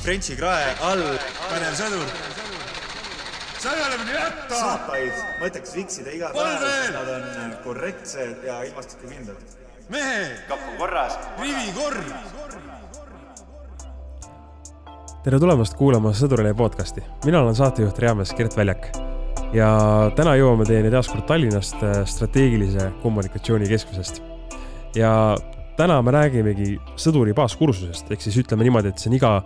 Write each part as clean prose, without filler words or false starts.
Frenchi krae all. Panev sõdur. Sa ei ole minu jätta! Saapaid mõtleks viksida iga päev, sest nad on korrektsed ja ilmastikukindlad. Mehe! Kapu korras. Rivi korr! Tere tulemast kuulama Sõdurile podcasti. Mina olen saatejuht Reamees Gert Väljak. Ja täna jõuame teieni taaskord Tallinnast strateegilise kommunikatsiooni keskusest. Ja täna me räägimegi sõduri baaskursusest, ehk siis ütleme niimoodi, et see on iga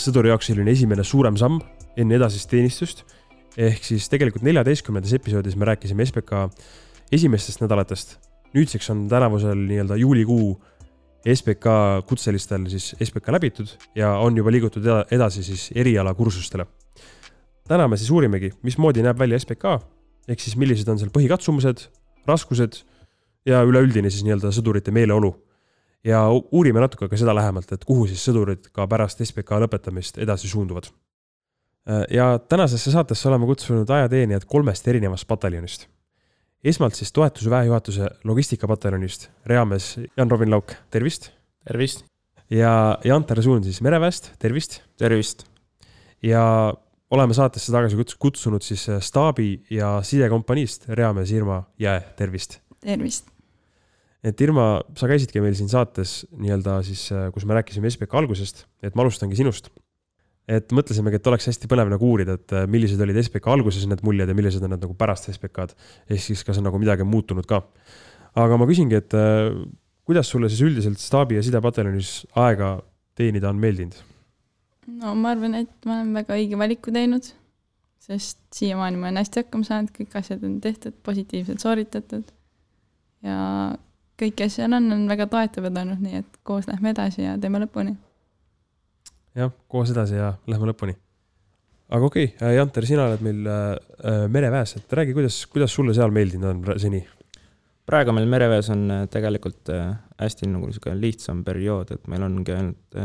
sõduri jaoks selline esimene suurem samm enne edasist teenistust. Ehk siis tegelikult 14. episoodis me rääkisime SPK esimestest nädalatest. Nüüdseks on tänavusel nii-öelda juulikuu SPK kutselistel siis SPK läbitud ja on juba liigutud edasi siis eriala kursustele. Täna me siis uurimegi, mismoodi näeb välja SPK, ehk siis millised on seal põhikatsumused, raskused ja üleüldine siis nii-öelda sõdurite meeleolu. Ja uurime natuke ka seda lähemalt, et kuhu siis sõdurid ka pärast SPK lõpetamist edasi suunduvad. Ja tänasesse saatesse oleme kutsunud ajateenijad 3 erinevast pataljonist. Esmalt siis toetuse väejuhatuse logistikapataljonist Reamees Jan-Robin Lauk, tervist. Tervist. Ja Antar Suun siis Mereväest, tervist. Tervist. Ja oleme saatesse tagasi kutsunud siis staabi ja sidekompaniist Reamees Irma Jää, tervist. Tervist. Et Irma, sa käisidki meil siin saates nii-öelda siis, kus me rääkisime SPK algusest, et ma alustangi sinust. Et mõtlesimegi, et oleks hästi põnev nagu uurida, et millised olid SPK alguses need muljed ja millised on need nagu pärast SPK-d, ehk siis kas on nagu midagi muutunud ka. Aga ma küsingi, et kuidas sulle siis üldiselt staabi ja sidepataljonis aega teenida on meeldinud? No ma arvan, et ma olen väga õige valiku teinud, sest siiamaani ma olen hästi hakkama saanud, kõik asjad on tehtud, positiivselt sooritatud ja kõik asjad on väga toetavad olnud, nii et koos lähme edasi ja teeme lõpuni. Jah, koos edasi ja lähme lõpuni. Aga okei, Janter, sina oled meil Mereväes, et räägi, kuidas sulle seal meeldinud on seni? Praegu meil Mereväes on tegelikult hästi nagu lihtsam periood, et meil ongi ainult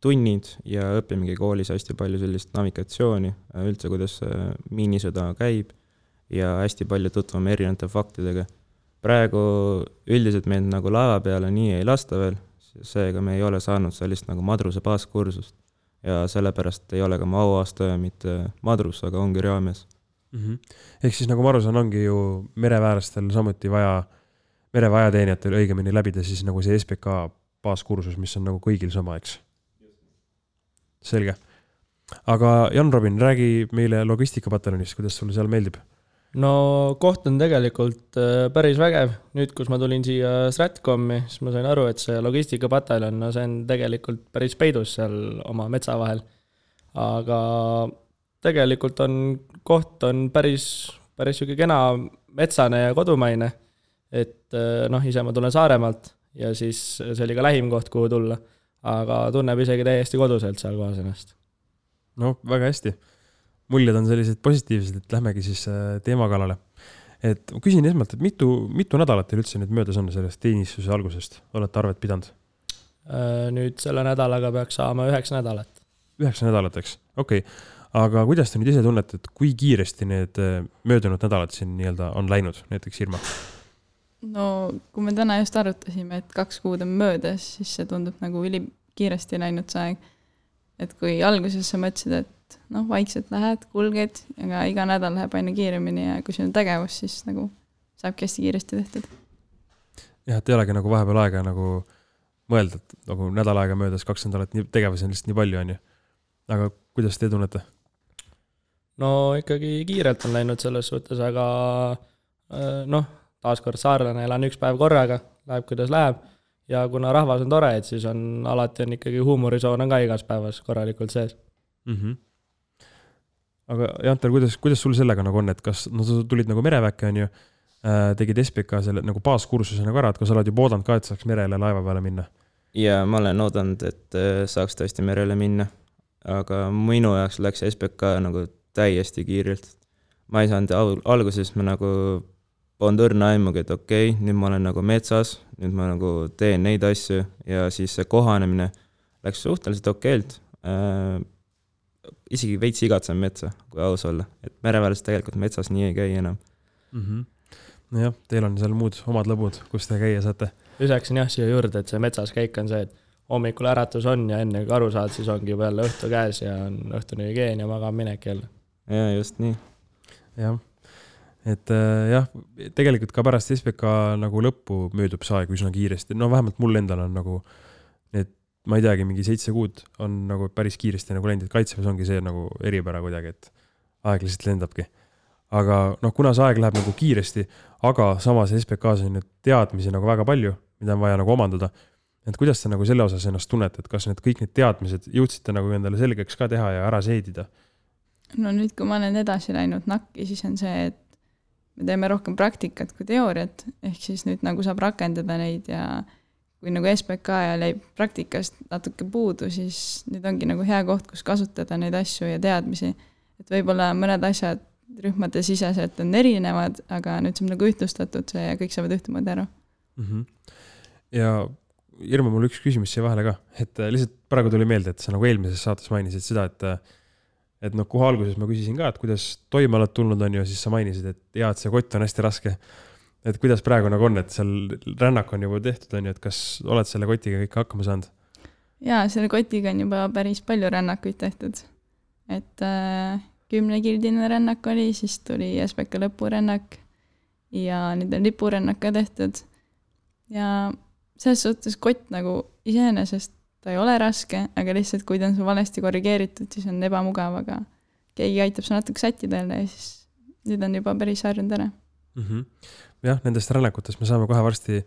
tunnid ja õppimegi koolis hästi palju sellist navigatsiooni, üldse kuidas miinisõda käib ja hästi palju tutvame erinevate faktidega. Praegu üldiselt meid nagu laeva peale nii ei lasta veel, seega me ei ole saanud sellist nagu madruse baaskursust ja sellepärast ei ole ka mu auaastaja mitte madrus, aga ongi Reamees. Ehk siis nagu ma aru saan, ongi ju mereväärastel samuti vaja, mereväeajateenijatel õigemini läbida siis nagu see SPK baaskursus, mis on nagu kõigil sama, eks? Selge. Aga Jan-Robin, räägi meile logistikapataljonist, kuidas sulle seal meeldib? No koht on tegelikult päris vägev. Nüüd, kus ma tulin siia Stratcomi, siis ma sain aru, et see logistikapataljon, no see on tegelikult päris peidus seal oma metsa vahel. Aga tegelikult koht on päris kena metsane ja kodumaine. Et ise ma tulen Saaremaalt ja siis see oli ka lähim koht, kuhu tulla. Aga tunneb isegi täiesti koduselt seal kohas ennast. No, väga hästi. Muljed on sellised positiivsed, et lähmegi siis teema kallale. Et küsin esmalt, et mitu nädalat teil üldse nüüd möödas on sellest teenistuse algusest? Olete arvet pidanud? Nüüd selle nädalaga peaks saama 9 nädalat. 9 nädalat, eks? Okei. Aga kuidas te nüüd ise tunnete, et kui kiiresti need möödunud nädalad siin nii-öelda on läinud, näiteks Irma? No kui me täna just arutasime, et 2 kuud on möödas, siis see tundub nagu kiiresti läinud see aeg. Et kui alguses sa mõtlesid, et vaikselt lähed, kulged, aga iga nädal läheb aina kiiremini ja kui see on tegevus, siis nagu saabki hästi kiiresti tehtud. Jah, et ei olegi nagu vahepeal aega nagu mõelda, et nagu nädal aega möödas 2 nädalat tegevus on lihtsalt nii palju, on ju. Aga kuidas te tunnete? No ikkagi kiirelt on läinud selles suhtes, aga taaskord saarlane elan 1 päev korraga, läheb kuidas läheb ja kuna rahvas on tore, et siis alati on ikkagi huumorisoon on ka igas päevas korralikult sees. Aga Janter, kuidas sul sellega nagu on, et kas sa tulid nagu mereväkke, on ju, tegid SPK selle nagu baaskursuse nagu ära, et kas sa oled juba oodanud ka, et saaks merele laeva peale minna? Ja ma olen oodanud, et saaks tõesti merele minna, aga minu jaoks läks SPK nagu täiesti kiirelt. Ma ei saanud alguses ma nagu polnud õrna aimugi, et okei, nüüd ma olen nagu metsas, nüüd ma nagu teen neid asju ja siis see kohanemine läks suhteliselt okeilt. Isegi veits igatsen metsa, kui aus olla. Et mereväelis tegelikult metsas nii ei käi enam. No jah, teil on seal muud omad lõbud, kus te käia saate. Lisaksin jah siia juurde, et see metsas käik on see, et hommikul äratus on ja enne kui aru saad, siis ongi juba jälle õhtu käes ja on õhtune hügieen ja magaminek jälle. Ja just nii. Jah, et jah, tegelikult ka pärast SPK nagu lõppu möödub see aeg üsna kiiresti. No vähemalt mul endal on nagu need, ma ei teagi, mingi 7 kuud on nagu päris kiiresti nagu läinud, et kaitseväes ongi see nagu eripära kuidagi, et aeg lihtsalt lendabki. Aga noh, kuna see aeg läheb nagu kiiresti, aga samas SPK-s on nüüd teadmisi nagu väga palju, mida on vaja nagu omandada. Et kuidas te nagu selle osas ennast tunnete, et kas need kõik need teadmised jõudsite nagu endale selgeks ka teha ja ära seedida? No nüüd, kui ma olen edasi läinud nakki, siis on see, et me teeme rohkem praktikat kui teooriat, ehk siis nüüd nagu saab rakendada neid ja kui nagu SPK ja jäi praktikast natuke puudu, siis nüüd ongi nagu hea koht, kus kasutada neid asju ja teadmisi. Et võib-olla mõned asjad rühmade siseselt on erinevad, aga nüüd saab nagu ühtlustatud see ja kõik saavad ühtemoodi ära. Ja Irma, mul üks küsimus siia vahele ka, et lihtsalt praegu tuli meelde, et sa nagu eelmises saates mainisid seda, et noh, kuhu alguses ma küsisin ka, et kuidas toime oled tulnud on ju, siis sa mainisid, et et see kott on hästi raske. Et kuidas praegu nagu on, et seal rännak on juba tehtud on ju, et kas oled selle kotiga kõik hakkama saanud? Jaa, selle kotiga on juba päris palju rännakuid tehtud. Et 10-kildine rännak oli, siis tuli SPK lõpurännak ja nüüd on lipurännak ka tehtud. Ja selles suhtes kott nagu iseenesest ta ei ole raske, aga lihtsalt kui ta on su valesti korrigeeritud, siis on ebamugav, aga keegi aitab su natuke sättida ja siis nüüd on juba päris harjunud ära. Jah, nendest rännakutest me saame kohe varsti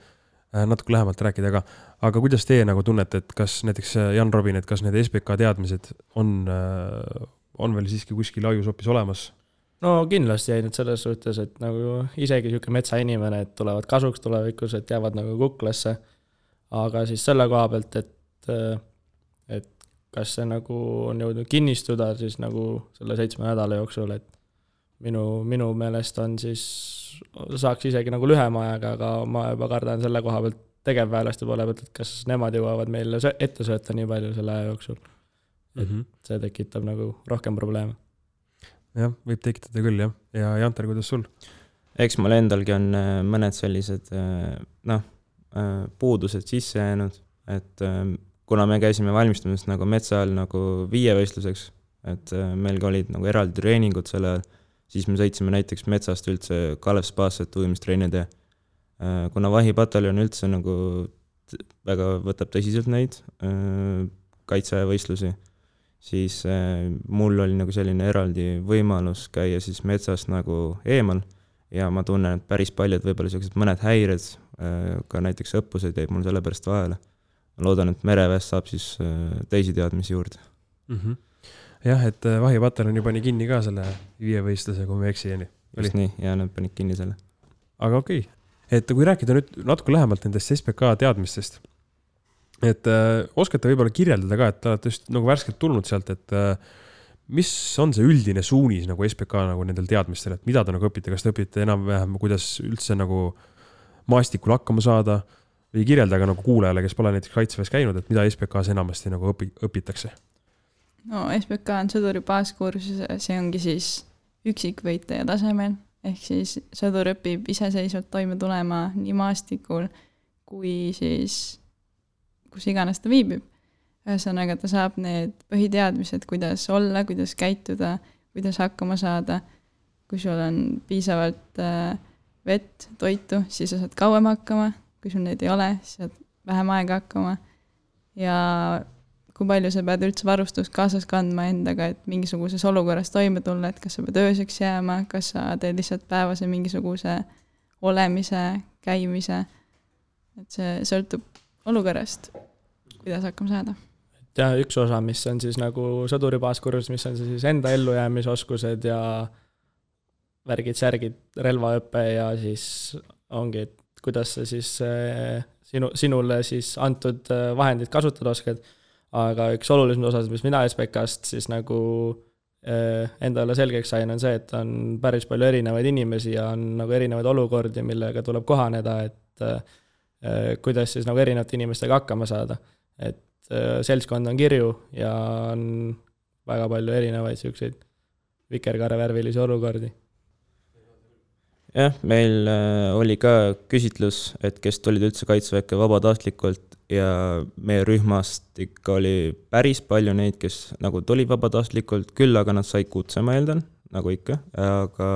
natuke lähemalt rääkida, aga kuidas teie nagu tunnete, et kas näiteks Jan Robin, et kas need SPK teadmised on veel siiski kuskil ajus hoopis olemas? No kindlasti jäi nüüd selles suhtes, et nagu isegi siuke metsainimene, et tulevad kasuks tulevikus, et jäävad nagu kuklasse, aga siis selle koha pealt, et kas see nagu on jõudnud kinnistuda siis nagu selle 7 nädala jooksul, et minu meelest on siis, saaks isegi nagu lühema ajaga, aga ma juba kardan selle koha pealt tegevväelaste poole pealt, et kas nemad jõuavad meile ette sööta nii palju selle aja jooksul. Et see tekitab nagu rohkem probleeme. Jah, võib tekitada küll, jah. Ja Janter, kuidas sul? Eks mul endalgi on mõned sellised puudused sisse jäänud, et kuna me käisime valmistumas nagu metsa all nagu 5 võistluseks, et meilgi olid nagu eraldi treeningud selle ajal, siis me sõitsime näiteks metsast üldse Kalev Spaasse ujumistreenide. Kuna vahipataljon üldse nagu väga võtab tõsiselt neid kaitsevõistlusi, siis mul oli nagu selline eraldi võimalus käia siis metsas nagu eemal ja ma tunnen, et päris paljud võib-olla sellised mõned häired, ka näiteks õppused jäid mul selle pärast vahele. Loodan, et mereväest saab siis teisi teadmisi juurde. Jah, et vahipataljon pani kinni ka selle 5 võistluse, kui me eksijani. Just nii, ja nad panid kinni selle. Aga okei. Et kui rääkida nüüd natuke lähemalt nendest SPK teadmistest, et oskate võib-olla kirjeldada ka, et te olete just nagu värskelt tulnud sealt, et mis on see üldine suunis nagu SPK nagu nendel teadmistel, et mida te nagu õpite, kas te õpite enam-vähem, kuidas üldse nagu maastikul hakkama saada või kirjeldage nagu kuulajale, kes pole näiteks kaitseväes käinud, et mida SPK-s enamasti nagu õpitakse? No SPK on sõduri baaskursus, see ongi siis üksikvõitleja tasemel, ehk siis sõdur õpib iseseisvalt toime tulema nii maastikul kui siis kus iganes ta viibib. Ühesõnaga ta saab need põhiteadmised, kuidas olla, kuidas käituda, kuidas hakkama saada. Kui sul on piisavalt vett, toitu, siis sa saad kauem hakkama. Kui sul neid ei ole, siis saad vähem aega hakkama. Ja kui palju sa pead üldse varustust kaasas kandma endaga, et mingisuguses olukorras toime tulla, et kas sa pead ööseks jääma, kas sa teed lihtsalt päevase mingisuguse olemise, käimise. Et see sõltub olukorrast, kuidas hakkama saada. Ja üks osa, mis on siis nagu sõduri baaskursus, mis on siis enda ellujäämisoskused ja värgid-särgid, relvaõppe ja siis ongi, et kuidas sa siis sinule siis antud vahendid kasutada oskad. Aga üks olulisem osas, mis mina SPK-st siis nagu endale selgeks sain, on see, et on päris palju erinevaid inimesi ja on nagu erinevaid olukordi, millega tuleb kohaneda, et kuidas siis nagu erinevate inimestega hakkama saada. Et seltskond on kirju ja on väga palju erinevaid selliseid vikerkaarevärvilisi olukordi. jah, meil oli ka küsitlus, et kes tulid üldse kaitseväkke vabatahtlikult ja meie rühmast ikka oli päris palju neid, kes nagu tuli vabatahtlikult, küll aga nad said kutse, ma eeldan, nagu ikka, aga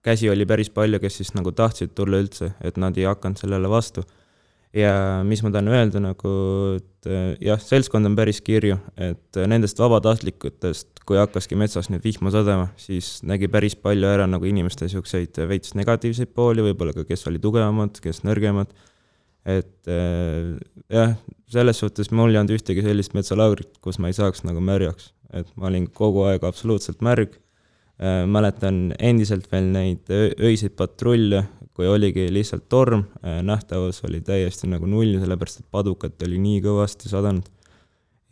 käsi oli päris palju, kes siis nagu tahtsid tulla üldse, et nad ei hakanud sellele vastu. Ja mis ma tahan öelda, nagu, et jah, seltskond on päris kirju, et nendest vabatahtlikutest, kui hakkaski metsas nüüd vihma sadama, siis nägi päris palju ära nagu inimeste siukseid veits negatiivseid pooli, võib-olla ka kes oli tugevamad, kes nõrgemad. Et jah, selles suhtes mul ei olnud ühtegi sellist metsalaagrit, kus ma ei saaks nagu märjaks. Et ma olin kogu aeg absoluutselt märg. Mäletan endiselt veel neid öiseid patrulle, kui oligi lihtsalt torm, nähtavus oli täiesti nagu null, sellepärast et padukat oli nii kõvasti sadanud.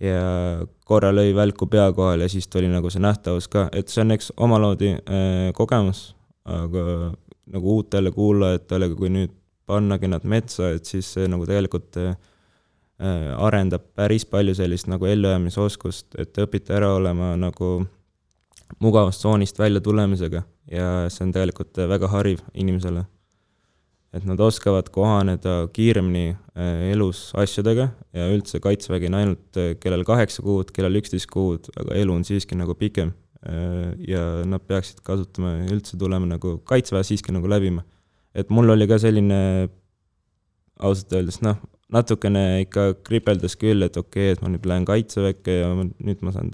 Ja korra lõi välku pea kohal ja siis tuli nagu see nähtavus ka, et see on eks omaloodi kogemus, aga nagu uutele kuulajatele, kui nüüd pannagi nad metsa, et siis see nagu tegelikult arendab päris palju sellist nagu ellujäämisoskust, et õpite ära olema nagu mugavustsoonist välja tulemisega ja see on tegelikult väga hariv inimesele. Et nad oskavad kohaneda kiiremini elus asjadega ja üldse kaitsevägi on ainult kellel 8 kuud, kellel 11 kuud, aga elu on siiski nagu pikem ja nad peaksid kasutama üldse tulema nagu kaitseväe siiski nagu läbima. Et mul oli ka selline ausalt öeldes, natukene ikka kripeldas küll, et okei, et ma nüüd lähen kaitseväkke ja nüüd ma saan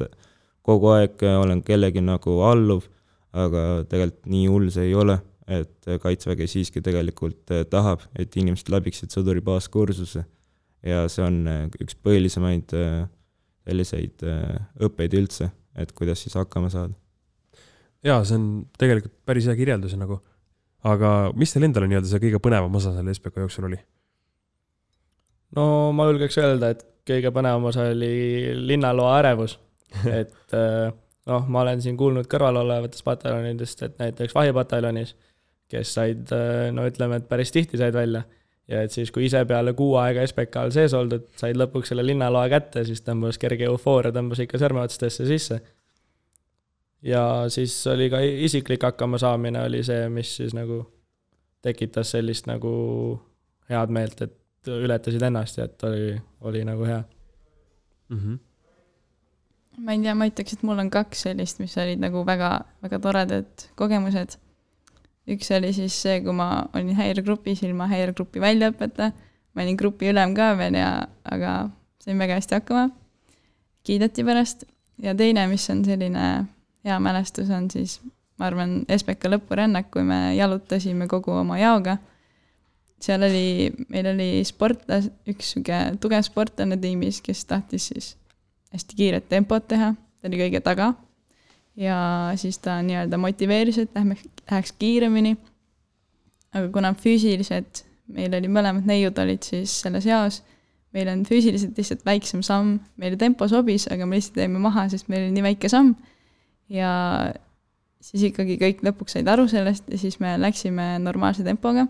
kogu aeg olen kellegi nagu alluv, aga tegelikult nii hull see ei ole. Et kaitsevägi siiski tegelikult tahab, et inimesed läbiksid sõduri baaskursuse ja see on üks põhilisemaid selliseid õppeid üldse, et kuidas siis hakkama saada. Jaa, see on tegelikult päris hea kirjeldus nagu, aga mis teil endal on nii-öelda see kõige põnevam osa selle SPK jooksul oli? No ma julgeks öelda, et kõige põnevam osa oli linnaloa ärevus, et ma olen siin kuulnud kõrval olevatest pataljonidest, et näiteks vahipataljonis, kes said, ütleme, et päris tihti said välja. Ja et siis, kui ise peale 6 aega SPK-l sees oldud, said lõpuks selle linnaloa kätte, siis tõmbas kerge eufooria, tõmbas ikka sõrmeotstesse sisse. Ja siis oli ka isiklik hakkama saamine oli see, mis siis nagu tekitas sellist nagu head meelt, et ületasid ennast ja et oli nagu hea. Mm-hmm. Ma ei tea, ma ütleks, et mul on 2 sellist, mis olid nagu väga, väga toredad kogemused. Üks oli siis see, kui ma olin häiregrupis ilma häiregrupi väljaõpeta. Ma olin grupi ülem ka veel, aga sain väga hästi hakkama. Kiideti pärast. Ja teine, mis on selline hea mälestus, on siis, ma arvan, SPK lõpurännak, kui me jalutasime kogu oma jaoga. Seal meil oli üks tugev sportlane tiimis, kes tahtis siis hästi kiiret tempot teha. Ta oli kõige taga. Ja siis ta nii-öelda motiveeris, et läheks kiiremini. Aga kuna füüsiliselt, meil oli mõlemad neiud olid siis selles jaos, meil on füüsiliselt lihtsalt väiksem samm, meile tempo sobis, aga me lihtsalt jäime maha, sest meil oli nii väike samm. Ja siis ikkagi kõik lõpuks said aru sellest ja siis me läksime normaalse tempoga.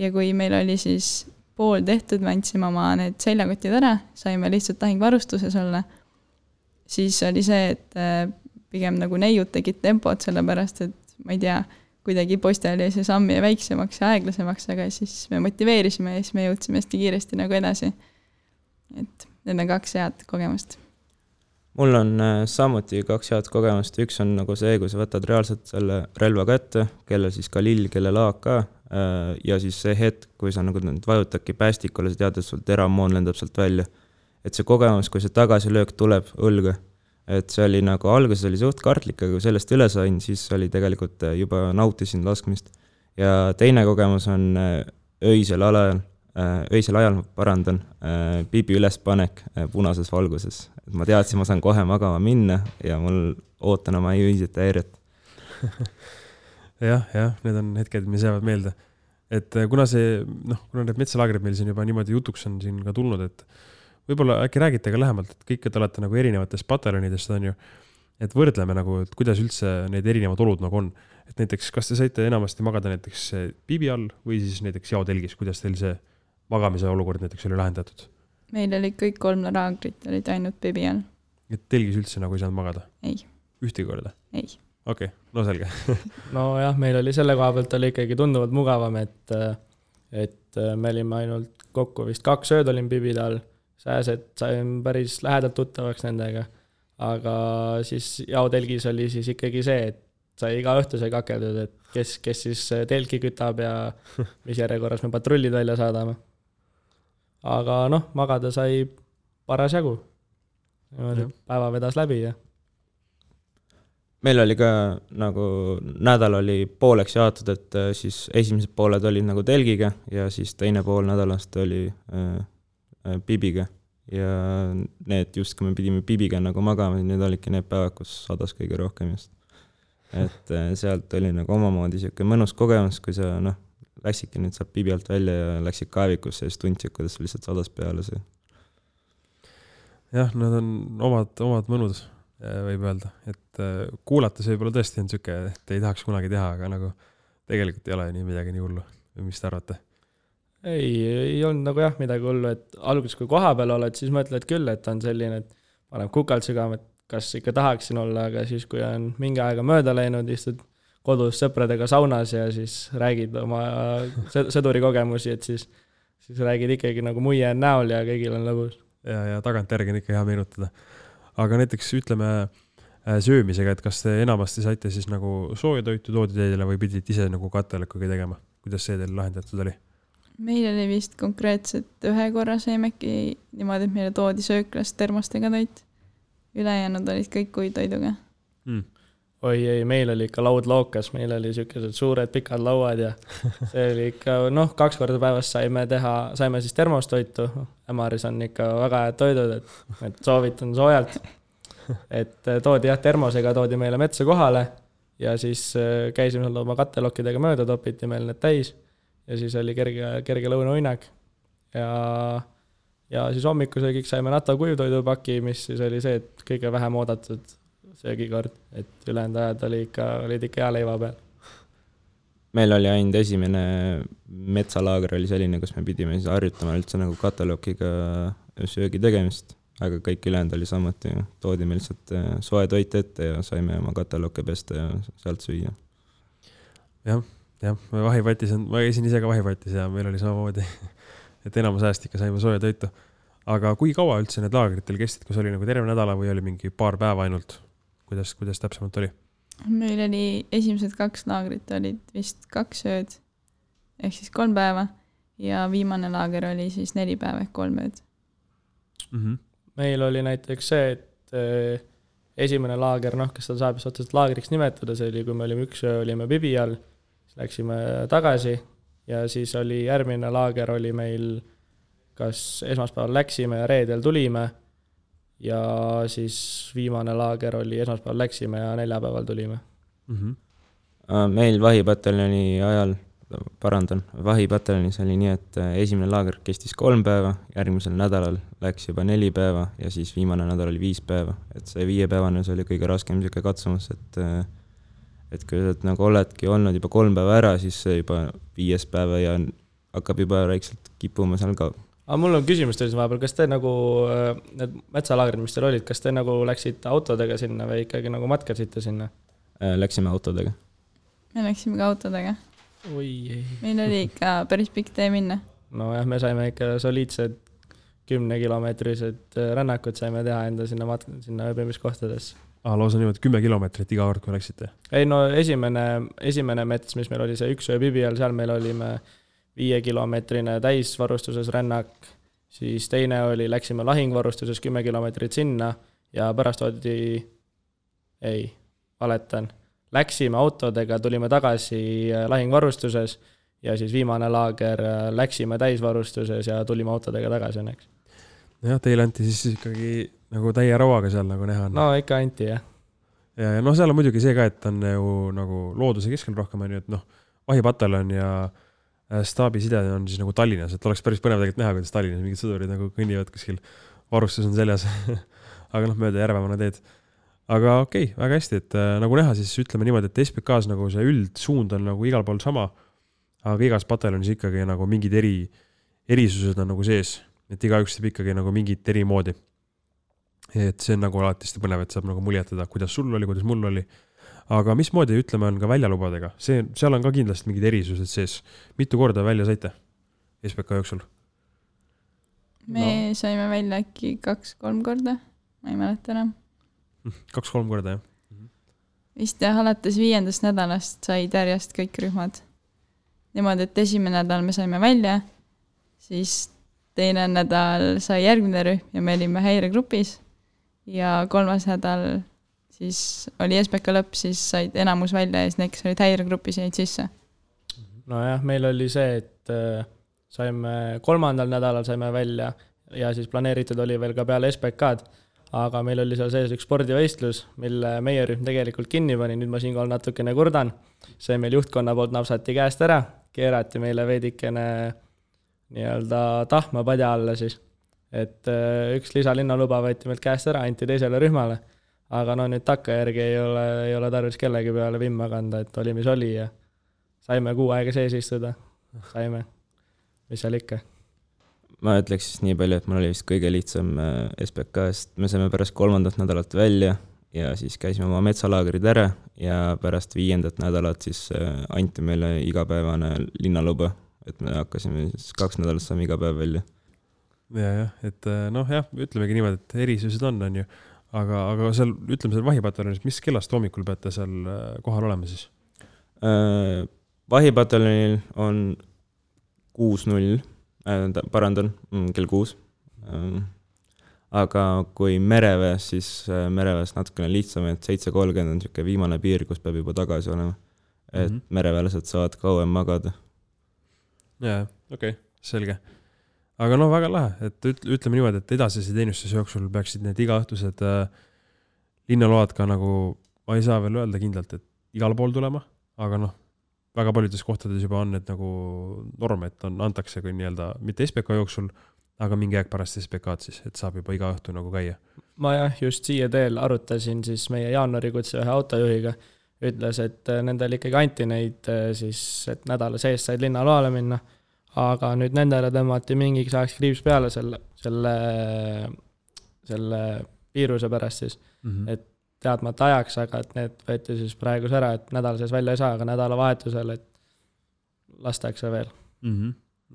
Ja kui meil oli siis pool tehtud, me andsime oma need seljakotid ära, saime lihtsalt lahingvarustuses olla, siis oli see, et pigem nagu neiud tegid tempot sellepärast, et ma ei tea, kuidagi poiste oli see samm ja väiksemaks ja aeglasemaks, aga siis me motiveerisime ja siis me jõudsime hästi kiiresti nagu edasi. Et need on 2 head kogemust. Mul on samuti 2 head kogemust. Üks on nagu see, kui sa võtad reaalselt selle relva kätte, kellel siis ka lill, kellel AK ja siis see hetk, kui sa nagu vajutadki päästikule, sa tead, et sul teramoon lendab sealt välja. Et see kogemus, kui see tagasilöök tuleb õlga, et see oli nagu alguses oli suht kartlik, aga kui sellest üle sain, siis oli tegelikult juba nautisin laskmist. Ja teine kogemus on öisel ajal parandan pibi ülespanek punases valguses. Et ma teadsin, ma saan kohe magama minna ja mul ootan oma öiset häiret. jah, need on hetked, mis jäävad meelde. Et kuna need metsalaagrid meil siin juba niimoodi jutuks on siin ka tulnud, et võib-olla äkki räägite ka lähemalt, et kõik te olete nagu erinevatest pataljonidest on ju, et võrdleme nagu, et kuidas üldse need erinevad olud nagu on. Et näiteks, kas te saite enamasti magada näiteks piibi all või siis näiteks jaotelgis, kuidas teil see magamise olukord näiteks oli lahendatud? Meil oli kõik 3 laagrit, olid ainult piibi all. Et telgis üldse nagu ei saanud magada? Ei. Ühtegi korda? Ei. okei, no selge. nojah, meil oli selle koha pealt oli ikkagi tunduvalt mugavam, et me olime ainult kokku vist 2 ööd olin Pibide all, sääsed saime päris lähedalt tuttavaks nendega, aga siis jaotelgis oli siis ikkagi see, et sai iga õhtu sai kakeldud, et kes siis telki kütab ja mis järjekorras me patrullid välja saadame. Aga noh, magada sai paras jagu. Päeva vedas läbi ja meil oli ka nagu nädal oli pooleks jaotud, et siis esimesed pooled olid nagu telgiga ja siis teine pool nädalast oli Pibiga ja need just, kui me pidime Pibiga nagu magama, need olidki need päevad, kus sadas kõige rohkem just. Et sealt oli nagu omamoodi siuke mõnus kogemus, kui sa läksidki nüüd sealt Pibi alt välja ja läksid kaevikusse ja siis tundsid, kuidas lihtsalt sadas peale see. Jah, nad on omad mõnud, võib öelda, et kuulates võib-olla tõesti on siuke, et ei tahaks kunagi teha, aga nagu tegelikult ei ole nii midagi nii hullu. Või mis te arvate? Ei olnud nagu jah midagi hullu, et alguses kui koha peal oled, siis mõtled küll, et on selline, et paneb kukalt sügama, et kas ikka tahaksin olla, aga siis kui on mingi aega mööda läinud, istud kodus sõpradega saunas ja siis räägid oma sõduri kogemusi, et siis räägid ikkagi nagu muie on näol ja kõigil on lõbus. Ja tagantjärgi on ikka hea meenutada. Aga näiteks ütleme söömisega, et kas te enamasti saite siis nagu sooja toitu toodi teile või pidid ise nagu katelõkkugi tegema? Kuidas see teil lahendatud oli? Meil oli vist konkreetselt ühe korra seemeki niimoodi, et meile toodi sööklast termostega toit. Ülejäänud olid kõik kuitoiduga. Oi, meil oli ikka laud lookas, meil oli siukesed suured pikad lauad ja see oli ikka, 2 korda päevas saime siis termostoitu. Ämaris on ikka väga head toidud, et soovitan soojalt. Et toodi termosega toodi meile metsa kohale ja siis käisime oma kattelokkidega mööda, topiti meil need täis ja siis oli kerge lõunauinak. Ja siis hommikusöögiks saime NATO kujuvtoidupaki, mis siis oli see, et kõige vähem oodatud söögikord, et ülejäänud ajad olid ikka hea leiva peal. Meil oli ainult esimene metsalaager oli selline, kus me pidime siis harjutama üldse nagu katalokiga söögi tegemist, aga kõik ülejäänud oli samuti. Toodi meil lihtsalt soe toit ette ja saime oma katalokke pesta ja sealt süüa. Jah, ma käisin ise ka vahivatis ja meil oli samamoodi, et enamus ajast ikka saime soja toitu. Aga kui kaua üldse need laagritel kestid, kus oli nagu terve nädala või oli mingi paar päeva ainult? Kuidas täpsemalt oli? Meil oli esimesed 2 laagrit olid vist 2 ööd, ehk siis 3 päeva ja viimane laager oli siis 4 päeva ehk 3 ööd. Meil oli näiteks see, et esimene laager, kes seda saab otseselt laagriks nimetada, see oli, kui me olime 1 öö, olime Pibi all, siis läksime tagasi ja siis oli järgmine laager oli meil, kas esmaspäeval läksime ja reedel tulime ja siis viimane laager oli esmaspäeval läksime ja neljapäeval tulime. Meil vahipataljoni ajal, vahipataljonis oli nii, et esimene laager kestis 3 päeva, järgmisel nädalal läks juba 4 päeva ja siis viimane nädal oli 5 päeva. Et see 5 päevane see oli kõige raskem siuke katsumus, et kui sa nagu oledki olnud juba 3 päeva ära, siis see juba 5 päeva ja hakkab juba väikselt kipuma seal ka. Aga mul on küsimus teile vahepeal, kas te nagu need metsalaagrid, mis teil olid, kas te nagu läksite autodega sinna või ikkagi nagu matkasite sinna? Läksime autodega. Me läksime ka autodega. Oi. Meil oli ikka päris pikk tee minna. No jah, me saime ikka soliidsed 10-kilomeetrised rännakud saime teha enda sinna ööbimiskohtadesse. Lausa niimoodi 10 kilomeetrit iga kord, kui läksite? Ei, esimene mets, mis meil oli see 1 öö Pibi all, seal meil olime 5-kilomeetrine täisvarustuses rännak, siis teine oli, läksime lahingvarustuses 10 kilomeetrit sinna ja pärast läksime autodega, tulime tagasi lahingvarustuses ja siis viimane laager läksime täisvarustuses ja tulime autodega tagasi õnneks. Jah, teile anti siis ikkagi nagu täie rauaga seal nagu näha. No ikka anti, jah. Ja seal on muidugi see ka, et on ju nagu looduse keskel rohkem, on ju, et vahipataljon ja staabiside on siis nagu Tallinnas, et oleks päris põnev tegelikult näha, kuidas Tallinnas mingid sõdurid nagu kõnnivad kuskil, varustus on seljas, aga mööda järvemana teed. Aga okei, väga hästi, et nagu näha, siis ütleme niimoodi, et SPK-s nagu see üldsuund on nagu igal pool sama, aga igas pataljonis ikkagi nagu mingid erisused on nagu sees, et igaüks teeb ikkagi nagu mingit eri moodi. Et see on nagu alati põnev, et saab nagu muljetada, kuidas sul oli, kuidas mul oli. aga mismoodi, ütleme, on ka väljalubadega? Seal on ka kindlasti mingid erisused sees. Mitu korda välja saite SPK jooksul? Me saime välja äkki 2-3 korda, ma ei mäleta enam. 2-3 korda, jah? Vist alates 5. nädalast said järjest kõik rühmad. Niimoodi, et esimene nädal me saime välja, siis teine nädal sai järgmine rühm ja me olime häiregrupis ja 3. nädal siis oli SPK lõpp, siis said enamus välja ja siis need, kes olid häiregrupis, jäid sisse. Nojah, meil oli see, et saime 3. nädalal saime välja ja siis planeeritud oli veel ka peale SPK-d, aga meil oli seal sees üks spordivõistlus, mille meie rühm tegelikult kinni pani, nüüd ma siinkohal natukene kurdan. See meil juhtkonna poolt napsati käest ära, keerati meile veidikene nii-öelda tahma padja alla siis, et üks lisalinnaluba võeti meilt käest ära, anti teisele rühmale, aga no nüüd takkajärgi ei ole tarvis kellegi peale vimma kanda, et oli mis oli ja saime 6 aega sees istuda, saime, mis seal ikka. Ma ütleks siis nii palju, et mul oli vist kõige lihtsam SPK-st, me saime pärast 3. nädalat välja ja siis käisime oma metsalaagrid ära ja pärast 5. nädalat siis anti meile igapäevane linnaluba, et me hakkasime siis 2 nädalat saame iga päev välja. Ja, et ütlemegi niimoodi, et erisused on ju, aga seal, ütleme seal vahipataljonis, mis kellast hommikul peate seal kohal olema siis? Vahipataljonil on 6:00, parandan, kell 6. Aga kui mereväes, siis mereväes natukene lihtsam, et 7:30 on siuke viimane piir, kus peab juba tagasi olema. Et mereväelased saavad kauem magada. Jaa, okei, selge. Aga väga lahe, et ütleme niimoodi, et edasise teenistuse jooksul peaksid need igaõhtused linnaload ka nagu, ma ei saa veel öelda kindlalt, et igal pool tulema, aga väga paljudes kohtades juba on need nagu norm, et antakse kui nii-öelda mitte SPK jooksul, aga mingi aeg pärast SPK-d siis, et saab juba iga õhtu nagu käia. Ma just siia teel arutasin siis meie jaanuarikutse ühe autojuhiga, ütles, et nendel ikkagi anti neid siis, et nädala sees said linnaloale minna, aga nüüd nendele tõmmati mingiks ajaks kriips peale selle viiruse pärast siis, et teadmata ajaks, aga et need võeti siis praegus ära, et nädala sees välja ei saa, aga nädala vahetusel, et lastakse veel.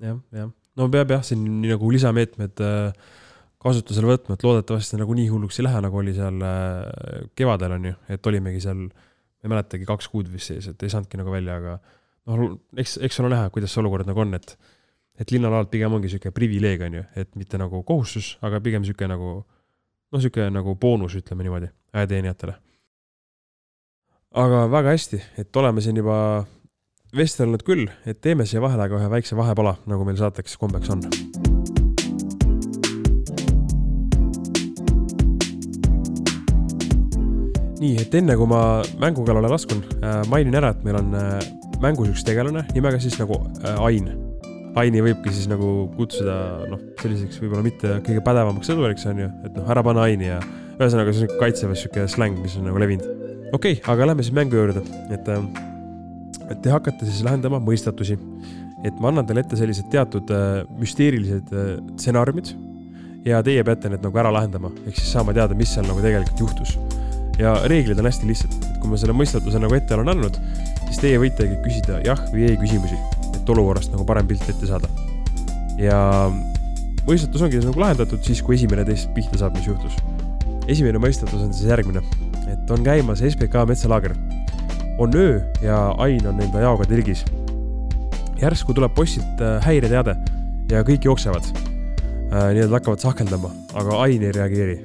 Jah. No peab siin nii nagu lisameetmed kasutusele võtma, et loodetavasti nagu nii hulluks ei lähe, nagu oli seal kevadel on ju, et olimegi seal, ei mäletagi 2 kuud vist sees, et ei saanudki nagu välja, aga eks on näha, kuidas see olukord nagu on, et linnalaalt pigem ongi siuke privileeg on ju, et mitte nagu kohustus, aga pigem siuke nagu boonus, ütleme niimoodi, ajateenijatele. Aga väga hästi, et oleme siin juba vestelnud küll, et teeme siia vahele ka ühe väikse vahepala, nagu meil saateks kombeks on. Nii, et enne kui ma mängukallale laskun, mainin ära, et meil on mängus üks tegelane nimega siis nagu Ain. Aini võibki siis nagu kutsuda selliseks võib-olla mitte kõige pädevamaks sõduriks on ju, et ära pane Aini ja ühesõnaga see on kaitseväes siuke släng, mis on nagu levinud. Okei, aga lähme siis mängu juurde, et te hakkate siis lahendama mõistatusi, et ma annan teile ette sellised teatud müsteerilised stsenaariumid ja teie peate need nagu ära lahendama, ehk siis saama teada, mis seal nagu tegelikult juhtus. Ja reeglid on hästi lihtsad, et kui ma selle mõistatuse nagu ette olen andnud, siis teie võitegi küsida jah või ei küsimusi, et olukorrast nagu parem pilt ette saada. Ja mõistatus ongi nagu lahendatud siis, kui esimene teist pihta saab, mis juhtus. Esimene mõistatus on siis järgmine, et on käimas SPK metsalaager. On öö ja Ain on enda jaoga tirgis. Järsku tuleb postilt häireteade ja kõik jooksevad. Nii nad hakkavad sahkeldama, aga Ain ei reageeri.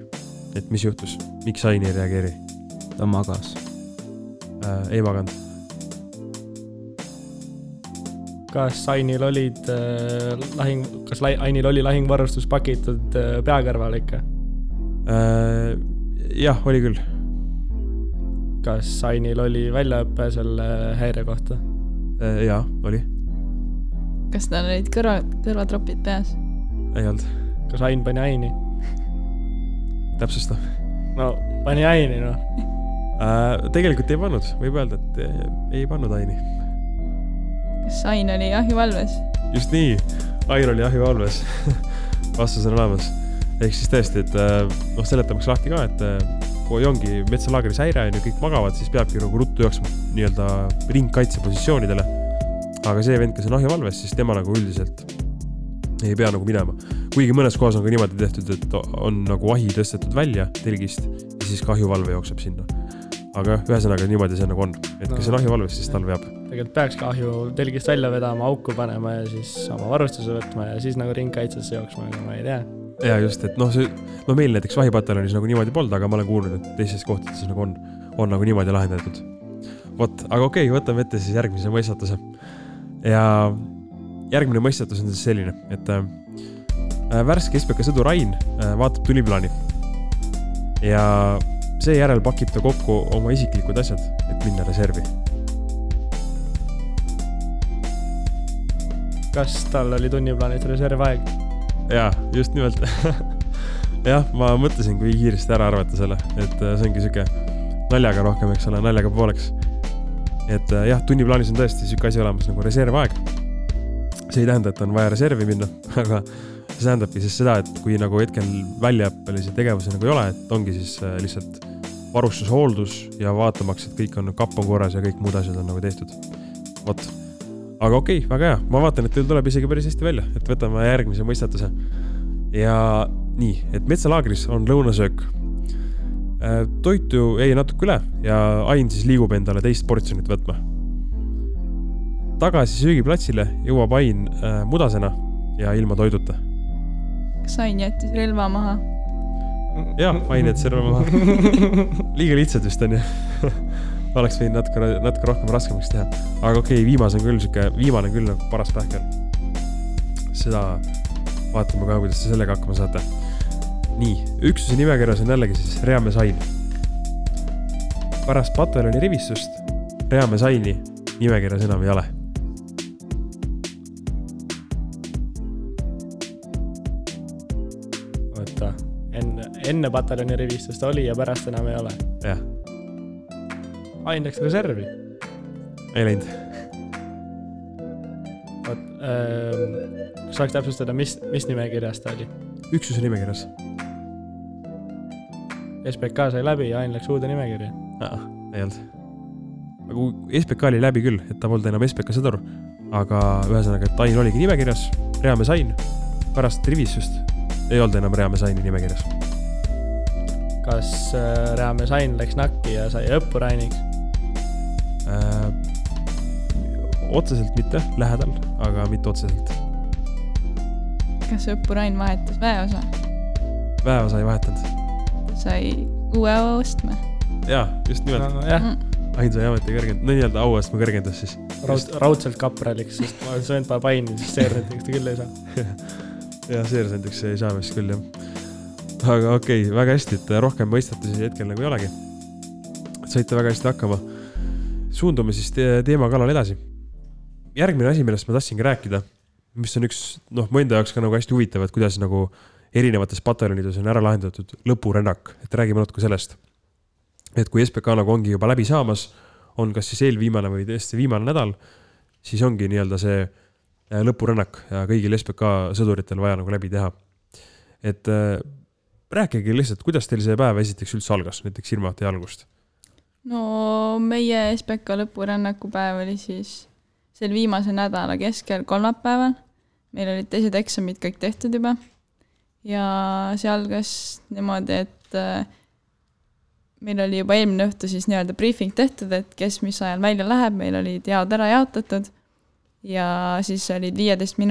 Et mis juhtus? Miks Ain ei reageeri? Ta magas. Ei maganud. Kas Ainil olid Ainil oli lahingvarustus pakitud peakõrval ikka? Jah, oli küll. Kas Ainil oli väljaõppe selle häire kohta? Jaa, oli. Kas tal olid kõrvatropid peas? Ei olnud. Kas Ain pani Aini? Täpsusta. No, pani Aini, Tegelikult ei pannud, võib öelda, et ei pannud Aini. Kas Ain oli ahjuvalves? Just nii, Ain oli ahjuvalves. Vastus on olemas. Ehk siis tõesti, et seletamaks lahti ka, et kui ongi metsalaagris häire ja kõik magavad, siis peabki nagu ruttu jooksma nii-öelda ringkaitse positsioonidele. Aga see vend, kes on ahjuvalves, siis tema nagu üldiselt ei pea nagu minema. Kuigi mõnes kohas on ka niimoodi tehtud, et on nagu ahi tõstetud välja telgist ja siis ka ahjuvalve jookseb sinna. Aga ühesõnaga niimoodi see nagu on. Et kes on ahjuvalves, siis tal veab. Tegelikult peaks ka ahju telgist välja vedama, auku panema ja siis oma varustuse võtma ja siis nagu ringkaitsesse jooksma, aga ma ei tea. Ja just, et meil näiteks vahipataljonis nagu niimoodi polnud, aga ma olen kuulnud, et teistes kohtades nagu on nagu niimoodi lahendatud. Vot, aga okei, võtame ette siis järgmise mõistatuse. Ja järgmine mõistatus on siis selline, et värske SPK sõdur Ain vaatab tunniplaani ja seejärel pakib ta kokku oma isiklikud asjad, et minna reservi. Kas tal oli tunniplaanid reservaeg? Jaa, just nimelt. Jah, ma mõtlesin, kui kiiresti ära arvata selle, et see ongi süke naljaga rohkem, eks ole, naljaga pooleks. Et jah, tunniplaanis on tõesti süke asi olemas nagu reservaeg. See ei tähenda, et on vaja reservi minna, aga see tähendabki siis seda, et kui nagu hetkel väljaõppelisi tegevusi nagu ei ole, et ongi siis lihtsalt varustus, hooldus ja vaatamaks, et kõik on kapp on korras ja kõik muud asjad on nagu tehtud. Vot. Aga okei, väga hea. Ma vaatan, et teil tuleb isegi päris hästi välja, et võtame järgmise mõistatuse. Ja nii, et metsalaagris on lõunasöök. Toitu jäi natuke üle ja Ain siis liigub endale teist portsjonit võtma. Tagasi söögiplatsile jõuab Ain mudasena ja ilma toiduta. Kas Ain jättis relva maha? Jah, Ain jättis relva maha. Liiga lihtsalt vist on ju. Oleks võin natuke rohkem raskemaks teha. Aga okei, viimane on küll nagu paras pähkel. Seda vaatame ka, kuidas te sellega hakkama saate. Nii, üksuse nimekirjas on jällegi siis Reamees Ain. Pärast pataljoni rivistust Reamees Aini nimekirjas enam ei ole. Oota, enne pataljoni rivistust oli ja pärast enam ei ole. Jah. Ain läks reservi. Ei läinud. Kas saaks täpsustada, mis nimekirjas ta oli? Üksuse nimekirjas. SPK sai läbi ja Ain läks uude nimekirja. Ei olnud. Aga SPK oli läbi küll, et ta polnud enam SPK sõdur. Aga ühesõnaga, et Ain oligi nimekirjas, Reamees Ain. Pärast rivistust ei olnud enam Reamees Aini nimekirjas. Kas Reamees Ain läks nakki ja sai õppurainiks? Otseselt mitte, lähedal, aga mitte otseselt. Kas õppurain vahetas väeosa? Väeosa ei vahetanud. Sai uue ostme? Jaa, just nimelt. No, jah. Ain sai ameti kõrgendus, no nii-öelda auastme kõrgendus siis. Raudselt kapraliks, sest ma olen söönud paar paini, siis seersentiks ta küll ei saa. Jah, seersentiks ei saa vist küll, jah. Aga okei, väga hästi, et rohkem mõistatusi hetkel nagu ei olegi. Saite väga hästi hakkama. Suundume siis teema kallal edasi. Järgmine asi, millest ma tahtsingi rääkida, mis on üks, mõnda jaoks ka nagu hästi huvitav, et kuidas nagu erinevates pataljonides on ära lahendatud lõpurännak, et räägime natuke sellest. Et kui SPK nagu ongi juba läbi saamas, on kas siis eelviimane või tõesti viimane nädal, siis ongi nii-öelda see lõpurännak ja kõigil SPK sõduritel vaja nagu läbi teha. Et rääkige lihtsalt, kuidas teil see päev esiteks üldse algas, näiteks ilmati algust? No meie SPK lõpurännaku päev oli siis sel viimase nädala keskel kolmapäeval. Meil olid teised eksamid kõik tehtud juba. Ja see algas niimoodi, et meil oli juba eelmine õhtu siis nii-öelda briefing tehtud, et kes mis ajal välja läheb, meil olid jaod ära jaotatud ja siis olid 15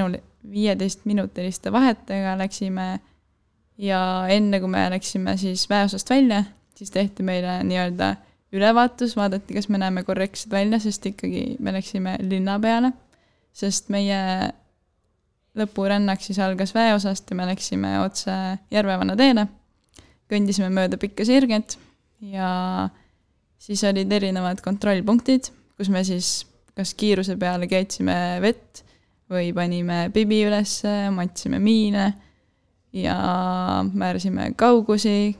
minutiliste vahetega läksime ja enne kui me läksime siis väeosast välja, siis tehti meile nii-öelda ülevaatus, vaadati, kas me näeme korrektsed välja, sest ikkagi me läksime linna peale, sest meie lõpurännak siis algas väeosast ja me läksime otse Järvevanna teele, kõndisime mööda pikka sirget ja siis olid erinevad kontrollpunktid, kus me siis kas kiiruse peale keetsime vett või panime pibi üles, matsime miine ja määrsime kaugusi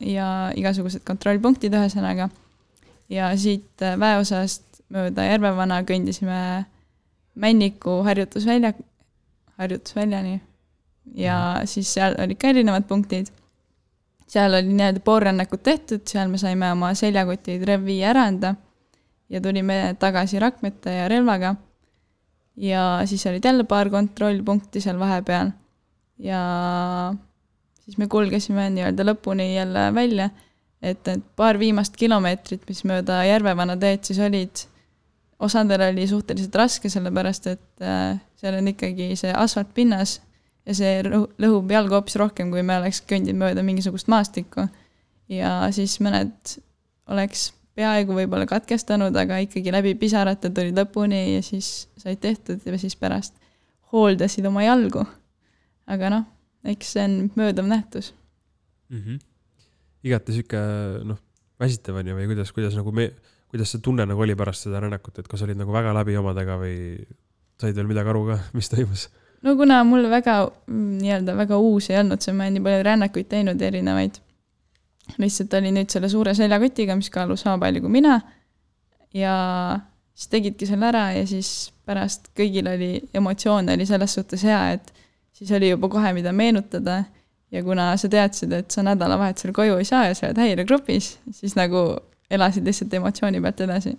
ja igasugused kontrollpunktid ühesõnaga. Ja siit väeosast mööda Järvevana kõndisime Männiku harjutusväljani ja siis seal olid ka erinevad punktid. seal oli nii-öelda poolrännakut tehtud, seal me saime oma seljakotid revvi äranda ja tulime tagasi Rakmete ja relvaga. Ja siis olid jälle paar kontrollpunkti seal vahepeal ja siis me kulgesime nii-öelda lõpuni jälle välja, et need paar viimast kilomeetrit, mis mööda Järvevana teed siis olid, osadel oli suhteliselt raske, sellepärast et seal on ikkagi see asfaltpinnas ja see lõhub jalgu hoopis rohkem, kui me oleks kõndid mööda mingisugust maastikku. Ja siis mõned oleks peaaegu võib-olla katkestanud, aga ikkagi läbi pisarate tuli lõpuni ja siis said tehtud ja siis pärast hooldasid oma jalgu. Aga noh, eks see on möödav nähtus. Igati siuke, väsitavani või kuidas nagu kuidas see tunne nagu oli pärast seda rännakut, et kas olid nagu väga läbi omadega või said veel midagi aru ka, mis toimus? No kuna mul väga uus ei olnud, see ma nii palju rännakuid teinud erinevaid. Lihtsalt oli nüüd selle suure seljakotiga, mis kaalus sama palju kui mina ja siis tegidki selle ära ja siis pärast kõigil oli emotsioon oli selles suhtes hea, et siis oli juba kohe mida meenutada ja kuna sa teadsid, et sa nädalavahetusel koju ei saa ja sa oled häiregrupis, siis nagu elasid lihtsalt emotsiooni pealt edasi.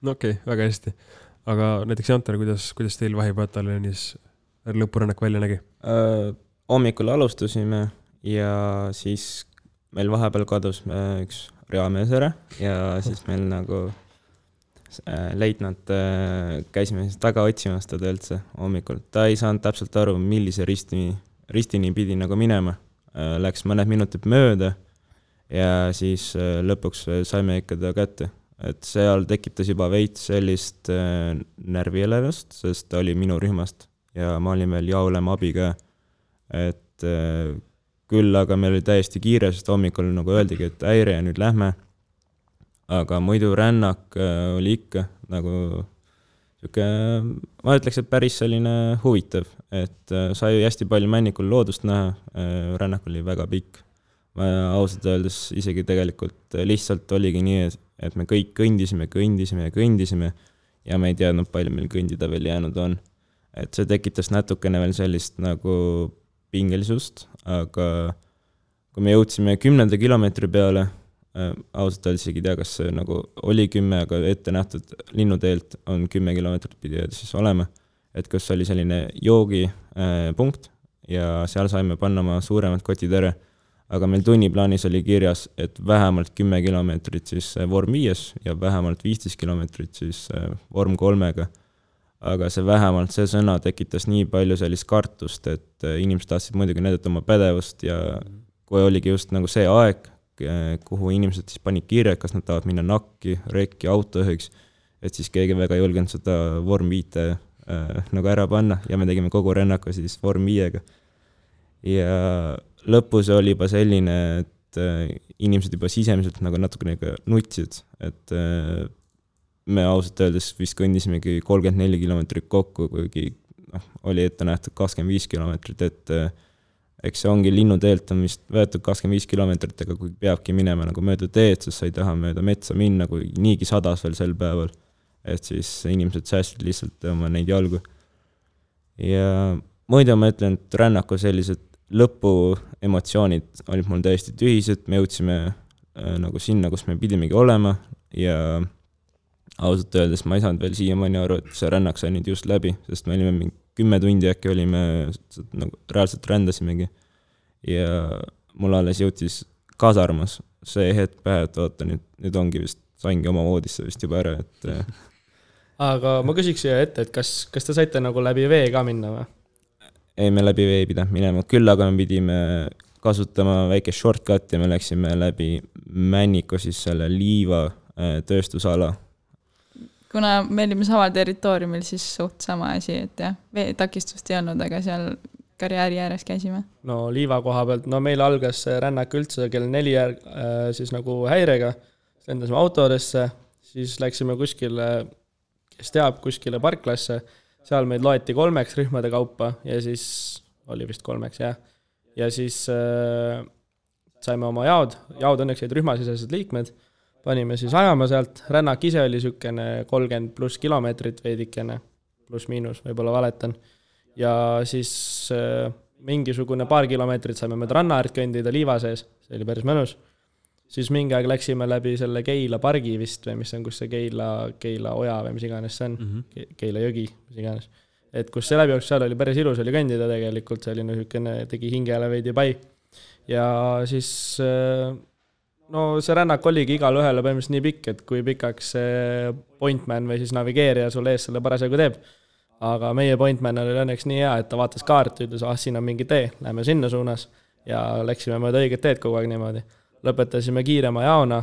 No okei, väga hästi. Aga näiteks Jantar, kuidas teil vahipataljonis lõpurännak välja nägi? Hommikul alustusime ja siis meil vahepeal kadus üks reamees ära ja siis meil nagu leitnant käisime siis taga otsimas teda üldse hommikul. Ta ei saanud täpselt aru, millise ristini pidi nagu minema. Läks mõned minutid mööda ja siis lõpuks saime ikka ta kätte. Et seal tekitas juba veits sellist närvielevust, sest ta oli minu rühmast ja ma olin veel jaolema abi ka. Et küll, aga meil oli täiesti kiire, sest hommikul nagu öeldigi, et häire ja nüüd lähme. Aga muidu rännak oli ikka nagu siuke, ma ütleks, et päris selline huvitav, et sai hästi palju männikul loodust näha, rännak oli väga pikk. Ma ausalt öeldes isegi tegelikult lihtsalt oligi nii, et me kõik kõndisime ja me ei teadnud palju meil kõndida veel jäänud on. Et see tekitas natukene veel sellist nagu pingelisust, aga kui me jõudsime 10. kilomeetri peale, ausalt öeldes ei tea, kas see nagu oli 10, aga ette nähtud linnuteelt on 10 kilomeetrit pidi siis olema, et kus oli selline joogi punkt ja seal saime panna oma suuremad kotid ära. Aga meil tunniplaanis oli kirjas, et vähemalt 10 kilomeetrit siis vorm 5 ja vähemalt 15 kilomeetrit siis vorm 3. Aga see vähemalt see sõna tekitas nii palju sellist kartust, et inimesed tahtsid muidugi näidata oma pädevust ja kui oligi just nagu see aeg, kuhu inimesed siis panid kirja, kas nad tahavad minna nakki, rekki, autojuhiks, et siis keegi väga ei julgenud seda vorm 5 nagu ära panna ja me tegime kogu rännaku siis vorm 5. Ja lõpus oli juba selline, et inimesed juba sisemiselt nagu natukene nutsid, et me ausalt öeldes vist kõndisimegi 34 kilomeetrit kokku, kuigi oli ette nähtud 25 kilomeetrit, et eks see ongi linnuteelt on vist võetud 25 kilomeetrit, aga kui peabki minema nagu mööda teed, sest sa ei taha mööda metsa minna, kui niigi sadas veel sel päeval, et siis inimesed säästid lihtsalt oma neid jalgu. Ja muidu ma ütlen, et rännaku sellised lõpu emotsioonid olid mul täiesti tühised, me jõudsime nagu sinna, kus me pidimegi olema ja ausalt öeldes ma ei saanud veel siiamaani aru, et see rännak sai nüüd just läbi, sest me olime 10 tundi äkki olime, nagu reaalselt rändasimegi ja mul alles jõutis kasarmas see hetk pähe, et oota, nüüd ongi vist, saingi oma voodisse vist juba ära, et Aga ma küsiks siia ette, et kas te saite nagu läbi vee ka minna või? Ei, me läbi vee ei pidanud minema, küll aga me pidime kasutama väike shortcut ja me läksime läbi Männiku siis selle liiva tööstusala. Kuna me olime samal territooriumil, siis suht sama asi, et jah, veetakistust ei olnud, aga seal karjääri ääres käisime. No liiva koha pealt, no meil algas rännak üldse kell 4 siis nagu häirega, lendasime autodesse, siis läksime kuskile, kes teab, kuskile parklasse, seal meid loeti 3 rühmade kaupa ja siis oli vist 3, jah. Ja siis saime oma jaod õnneks jäid rühmasisesed liikmed, panime siis ajama sealt, rännak ise oli sükene 30+ kilomeetrit veidikene, pluss miinus, võib-olla valetan. Ja siis mingisugune paar kilomeetrit saime mööda ranna äärt kõndida liiva sees, see oli päris mõnus. Siis mingi aeg läksime läbi selle Keila pargi vist või mis on, kus see Keila oja või mis iganes see on, Keila jõgi, mis iganes. Et kus see läbi jooksis, seal oli päris ilus oli kõndida tegelikult, see oli niisugune, tegi hingele veidi pai. Ja siis no see rännak oligi igal ühele põhimõtteliselt nii pikk, et kui pikaks see pointman või siis navigeerija sul ees selle parasjagu teeb. Aga meie pointman oli õnneks nii hea, et ta vaatas kaarti, ütles, siin on mingi tee, lähme sinna suunas ja läksime mööda õiget teed kogu aeg niimoodi. Lõpetasime kiirema jaona,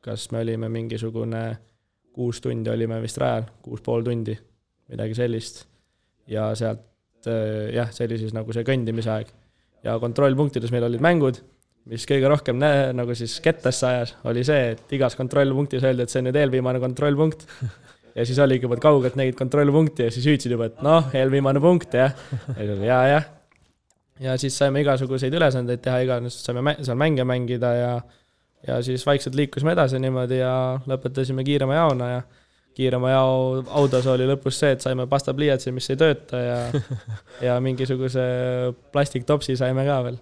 kas me olime mingisugune 6 tundi olime vist rajal, 6,5 tundi, midagi sellist. Ja sealt, see oli siis nagu see kõndimise aeg. Ja kontrollpunktides meil olid mängud, mis kõige rohkem nagu siis kettasse ajas, oli see, et igas kontrollpunktis öeldi, et see on nüüd eelviimane kontrollpunkt. Ja siis oligi juba kaugelt nägid kontrollpunkti ja siis hüüdsid juba, et eelviimane punkt, jah. Ja. Ja siis saime igasuguseid ülesandeid teha, saime seal mänge mängida ja siis vaikselt liikusime edasi niimoodi ja lõpetasime kiirema jaona ja kiirema jao autos oli lõpus see, et saime pastapliiatsi, mis ei tööta ja mingisuguse plastiktopsi saime ka veel.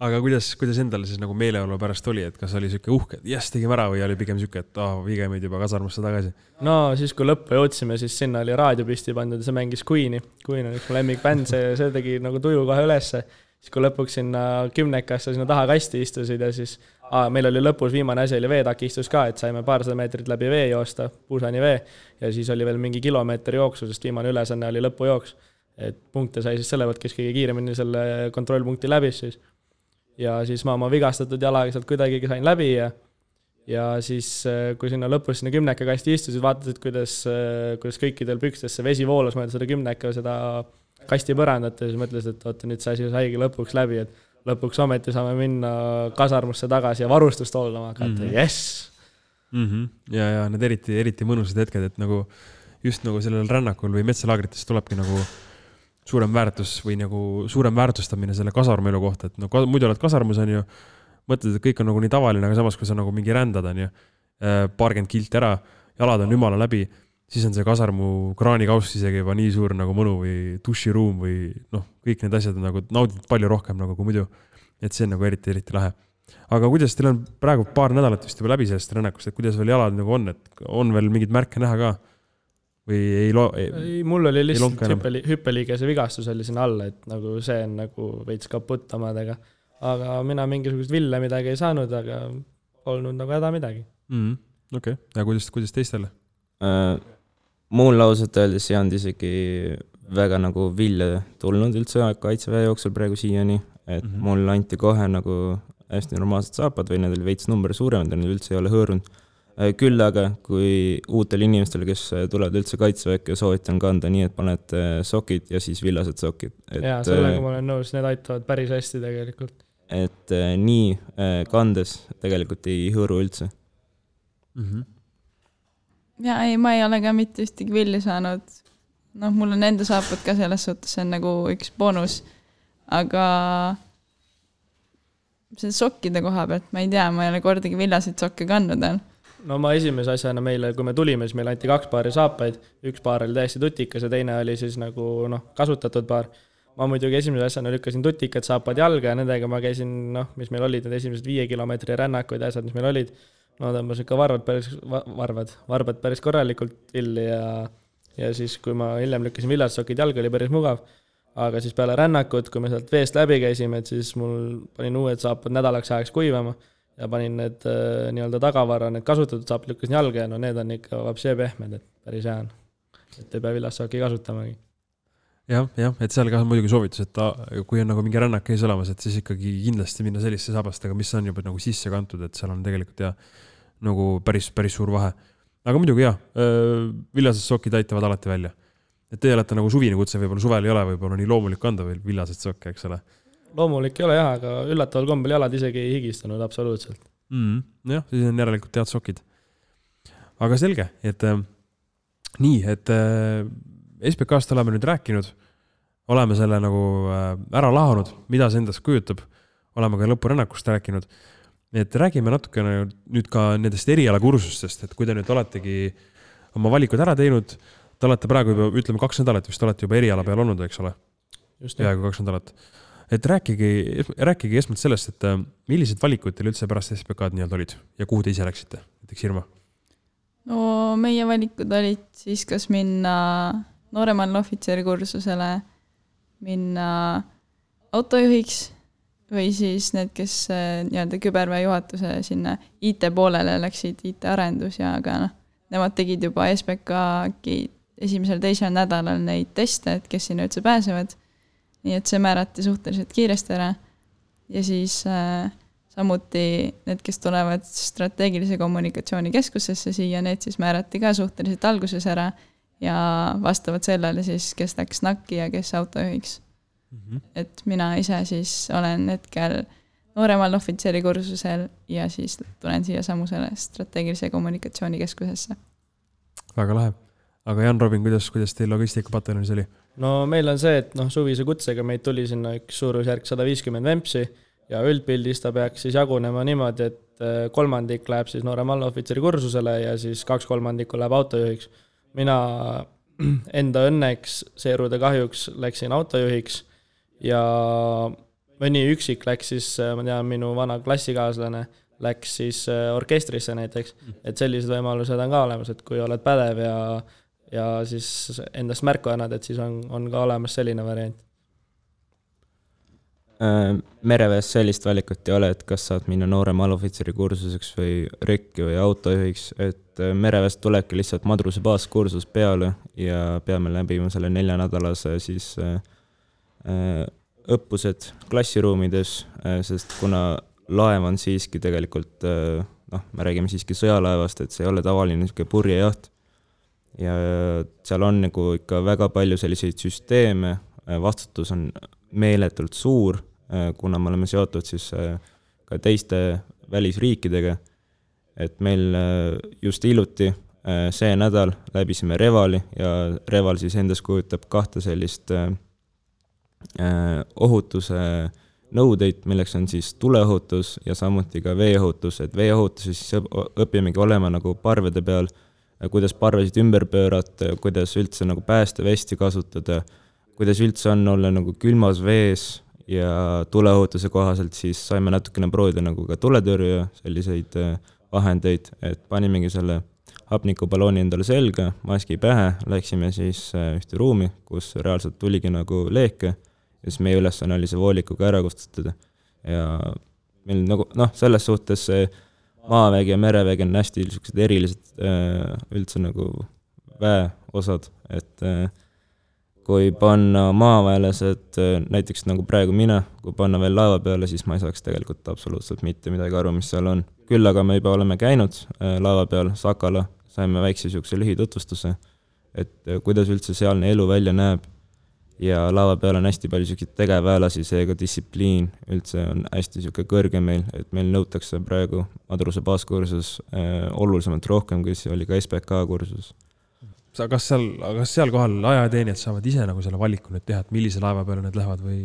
Aga kuidas endale siis nagu meeleolu pärast oli, et kas oli siuke uhke, et tegime ära või oli pigem siuke, et viige meid juba kasarmusse tagasi? No siis kui lõppu jõudsime, siis sinna oli raadiopisti pandud ja see mängis Queen'i. Queen on üks mu lemmikbänd, see tegi nagu tuju kohe ülesse. Siis kui lõpuks sinna 10-kasse sinna taha kasti istusid ja siis meil oli lõpus viimane asi oli veetakistus ka, et saime paarsada meetrit läbi vee joosta, puusani vee ja siis oli veel mingi kilomeetri jooksu, sest viimane ülesanne oli lõpujooks. Et punkte sai siis selle võt, kes kõige kiiremini selle kontrollpunkti läbis siis. Ja siis ma oma vigastatud jalaga sealt kuidagi sain läbi ja siis kui sinna lõpus sinna 10 kasti istusid, vaatasid, kuidas kõikidel pükstes see vesi voolas mööda seda 10 seda kasti põrandat ja siis mõtlesid, et oota, nüüd see asi saigi lõpuks läbi, et lõpuks ometi saame minna kasarmusse tagasi ja varustust hoolama hakata, yes! Ja need eriti mõnusad hetked, et nagu just nagu sellel rännakul või metsalaagrites tulebki nagu suurem väärtus või nagu suurem väärtustamine selle kasarmelu kohta, et no muidu oled kasarmus on ju, mõtled, et kõik on nagu nii tavaline, aga samas kui sa nagu mingi rändad on ju, paarkümmend kilti ära, jalad on ümala läbi, siis on see kasarmu kraanikauss isegi juba nii suur nagu mõnu või duširuum või kõik need asjad on nagu naudid palju rohkem nagu kui muidu, et see on nagu eriti lahe. Aga kuidas teil on praegu paar nädalat vist juba läbi sellest rännakust, et kuidas veel jalad nagu on, et on veel mingid märke näha ka? Või ei, mul oli lihtsalt hüppeliigese vigastus oli sinna alla, et nagu see on nagu veits kaputt omadega. Aga mina mingisugust ville midagi ei saanud, aga polnud nagu häda midagi. Okei. Ja kuidas teistele? Mul lauselt öeldes ei olnud isegi väga nagu vilja tulnud üldse kaitseväe jooksul praegu siiani, et mul anti kohe nagu hästi normaalsed saapad või need oli veits number suuremad ja need üldse ei ole hõõrunud. Küll aga, kui uutel inimestele, kes tulevad üldse kaitseväkke ja soovitan kanda nii, et paned sokid ja siis villased sokid. Ja, sellega ma olen nõus, need aitavad päris hästi tegelikult. Et nii kandes tegelikult ei hõõru üldse. Ja ei, ma ei ole ka mitte ühtegi villi saanud. Mul on enda saapad ka selles suhtes, see on nagu üks bonus. Aga see sokkide koha pealt, ma ei tea, ma ei ole kordagi villasid sokke kandnud. No ma esimese asjana meile, kui me tulime, siis meil anti 2 paari saapaid, 1 paar oli täiesti tutikas ja teine oli siis nagu kasutatud paar. Ma muidugi esimese asjana lükkasin tutikad saapad jalga ja nendega ma käisin, mis meil olid, need esimesed 5 kilomeetri rännakud ja asjad, mis meil olid. Tõmbas ikka varbad päris korralikult villi ja siis, kui ma hiljem lükkasin villasokid jalga, oli päris mugav. Aga siis peale rännakut, kui me sealt veest läbi käisime, et siis mul panin uued saapad nädalaks ajaks kuivama. Ja panin need nii-öelda tagavara, need kasutatud saab lükkasin jalga ja need on ikka vapsee pehmed, et päris hea on. Et ei pea villassaaki kasutamagi. Jah, et seal ka on muidugi soovitus, et kui on nagu mingi rännak ees olemas, et siis ikkagi kindlasti minna selliste saabastega, mis on juba nagu sisse kantud, et seal on tegelikult nagu päris suur vahe. Aga muidugi villased sokid aitavad alati välja. Et te olete nagu suvine kutse, võib-olla suvel ei ole, võib-olla nii loomulik kanda veel villased sokke, eks ole. Loomulik ei ole jah, aga üllataval kombel jalad isegi ei higistanud absoluutselt. Jah, siis on järelikult head sokid. Aga selge, et nii, et SBK-st oleme nüüd rääkinud, oleme selle nagu ära lahanud, mida see endast kujutab, oleme ka lõpurännakust rääkinud, et räägime natuke nüüd ka nendest erialakursustest, et kui te nüüd oletegi oma valikud ära teinud, te olete praegu juba, ütleme 2 nädalat vist olete juba eriala peal olnud, eks ole? peaaegu 2 nädalat. Et rääkige esmalt sellest, et millised valikud teil üldse pärast SPK-d nii-öelda olid ja kuhu te ise läksite, näiteks Irma? No meie valikud olid siis kas minna nooremale ohvitseri kursusele, minna autojuhiks või siis need, kes nii-öelda küberväe juhatuse sinna IT poolele läksid, IT-arendus ja aga nemad tegid juba SPK-gi esimesel-teisel nädalal neid teste, et kes sinna üldse pääsevad. Nii et see määrati suhteliselt kiiresti ära ja siis samuti need, kes tulevad strateegilise kommunikatsiooni keskusesse siia, need siis määrati ka suhteliselt alguses ära ja vastavad sellele siis, kes läks NAK-i ja kes autojuhiks. Et mina ise siis olen hetkel nooremal ohvitseri kursusel ja siis tulen siia samusele strateegilise kommunikatsiooni keskusesse. Väga lahe. Aga Jan Robin, kuidas teil logistikapataljoonis oli? No meil on see, et suvise kutsega meid tuli sinna üks suurusjärk 150 vempsi ja üldpildis ta peaks siis jagunema niimoodi, et 3 läheb siis noorem allohvitseri kursusele ja siis 2/3 läheb autojuhiks. Mina enda õnneks, seerude kahjuks läksin autojuhiks ja mõni üksik läks siis, ma tean, minu vana klassikaaslane läks siis orkestrisse näiteks, et sellised võimalused on ka olemas, et kui oled pädev ja siis endast märku annad, et siis on ka olemas selline variant. Mereväes sellist valikut ei ole, et kas saad minna noorem allohvitseri kursuseks või rekki või autojuhiks, et mereväest tulebki lihtsalt madruse baaskursus peale ja peame läbima selle 4-nädalase siis õppused klassiruumides, sest kuna laev on siiski tegelikult, me räägime siiski sõjalaevast, et see ei ole tavaline purjejaht ja seal on nagu ikka väga palju selliseid süsteeme, vastutus on meeletult suur, kuna me oleme seotud siis ka teiste välisriikidega, et meil just hiljuti see nädal läbisime Revali ja Reval siis endas kujutab 2 sellist ohutuse nõudeid, milleks on siis tuleohutus ja samuti ka veeohutus, et veeohutus siis õpimegi olema nagu parvede peal, kuidas parvesid ümber pöörata, kuidas üldse nagu päästevesti kasutada, kuidas üldse on olla nagu külmas vees ja tuleohutuse kohaselt siis saime natukene proovida nagu ka tuletõrje selliseid vahendeid, et panimegi selle hapnikubalooni endale selga, maski pähe, läksime siis ühte ruumi, kus reaalselt tuligi nagu leeke ja siis meie ülesanne oli see voolikuga ära kustutada ja meil nagu, selles suhtes see maavägi ja merevägi on hästi erilised üldse nagu väeosad, et kui panna maaväelased, näiteks nagu praegu mina, kui panna veel laeva peale, siis ma ei saaks tegelikult absoluutselt mitte midagi aru, mis seal on. Küll aga me juba oleme käinud laeva peal Sakala, saime väikse siukse lühitutvustuse, et kuidas üldse sealne elu välja näeb ja laeva peal on hästi palju siukseid tegevväelasi, seega distsipliin üldse on hästi siuke kõrge meil, et meil nõutakse praegu madruse baaskursus olulisemalt rohkem, kui see oli ka SPK kursus. Kas seal kohal ajateenijad saavad ise nagu selle valiku nüüd teha, et millise laeva peale need lähevad või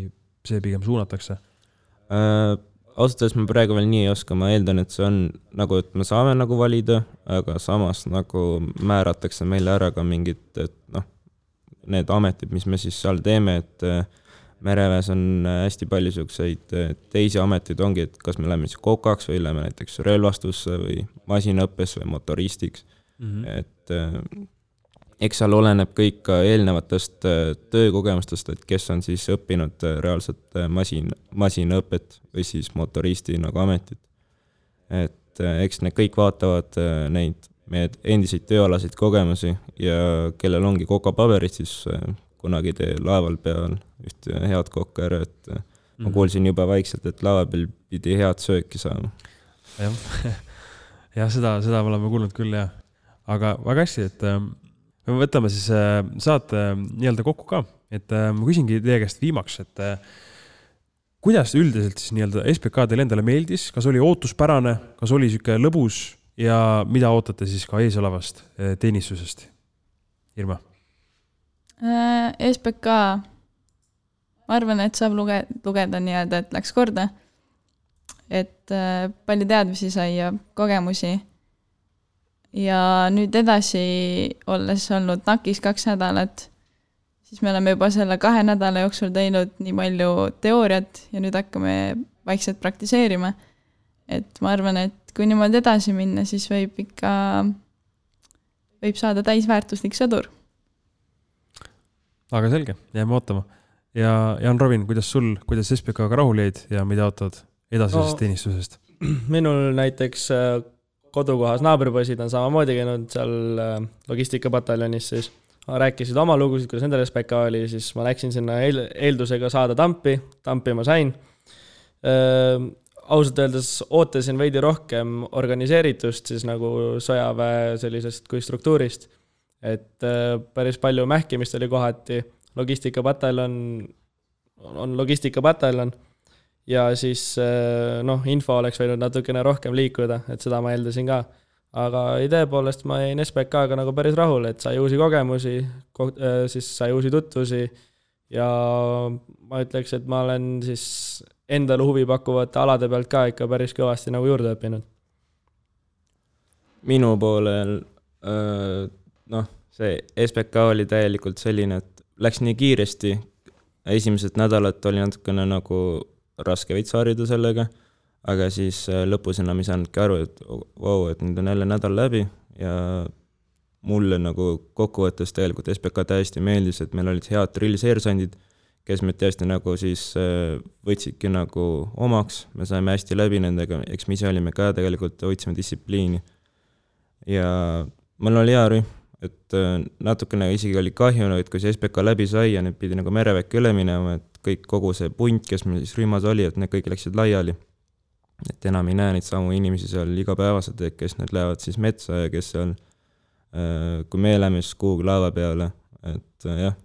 see pigem suunatakse? Ausalt me praegu veel nii ei oska, ma eeldan, et see on nagu, et me saame nagu valida, aga samas nagu määratakse meile ära ka mingid, et need ametid, mis me siis seal teeme, et mereväes on hästi palju siukseid teisi ametid ongi, et kas me läheme siis kokaks või läheme näiteks relvastusse või masinaõppes või motoristiks, et eks seal oleneb kõik ka eelnevatest töökogemustest, et kes on siis õppinud reaalselt masinaõpet või siis motoristi nagu ametit. Et eks need kõik vaatavad neid meie endiseid tööalaseid kogemusi ja kellel ongi kokapaberid, siis kunagi tee laeval peal ühte head kokka ära, et ma kuulsin juba vaikselt, et laeva peal pidi head sööki saama. Ja seda oleme kuulnud küll, jah. Aga väga hästi, et me võtame siis saate nii-öelda kokku ka, et ma küsingi teie käest viimaks, et kuidas üldiselt siis nii-öelda SPK teile endale meeldis, kas oli ootuspärane, kas oli siuke lõbus ja mida ootate siis ka eesolevast teenistusest? Irma? SPK, ma arvan, et saab lugeda nii-öelda, et läks korda, et palju teadmisi sai ja kogemusi. Ja nüüd edasi olles olnud NAK-is 2 nädalat, siis me oleme juba selle 2 nädala jooksul teinud nii palju teooriat ja nüüd hakkame vaikselt praktiseerima. Et ma arvan, et kui niimoodi edasi minna, siis võib saada täisväärtuslik sõdur. Aga selge, jääme ootama. Ja Jan Robin, kuidas SPK-ga rahul jäid ja mida ootavad edasisest teenistusest? Minul näiteks kodukohas naabripoisid on samamoodi käinud seal logistikapataljonis, siis rääkisid oma lugusid, kuidas nendel SPK oli, siis ma läksin sinna eeldusega saada tampi ma sain. Ausalt öeldes ootasin veidi rohkem organiseeritust siis nagu sõjaväe sellisest kui struktuurist, et päris palju mähkimist oli kohati, logistikapataljon on logistikapataljon ja siis info oleks võinud natukene rohkem liikuda, et seda ma eeldasin ka. Aga idee poolest ma jäin SPK-ga nagu päris rahul, et sai uusi kogemusi, siis sai uusi tutvusi ja ma ütleks, et ma olen siis endale huvi pakkuvate alade pealt ka ikka päris kõvasti nagu juurde õppinud. Minu poolel see SPK oli täielikult selline, et läks nii kiiresti. Esimesed nädalat oli natukene nagu raske veits harjuda sellega, aga siis lõpus enam ei saanudki aru, et et nüüd on jälle nädal läbi ja mulle nagu kokkuvõttes tegelikult SPK täiesti meeldis, et meil olid head drillseersandid, kes me tõesti nagu siis võtsidki nagu omaks, me saime hästi läbi nendega, eks me ise olime ka tegelikult, hoidsime distsipliini. Ja mul oli hea rühm, et natukene isegi oli kahju, et kui see SPK läbi sai ja nüüd pidi nagu mereväkke üle minema, et kogu see punt, kes meil siis rühmas oli, et need kõik läksid laiali. Et enam ei näe neid samu inimesi seal igapäevaselt, et kes need lähevad siis metsa ja kes seal, kui me läheme siis kuhugi laeva peale, et jah,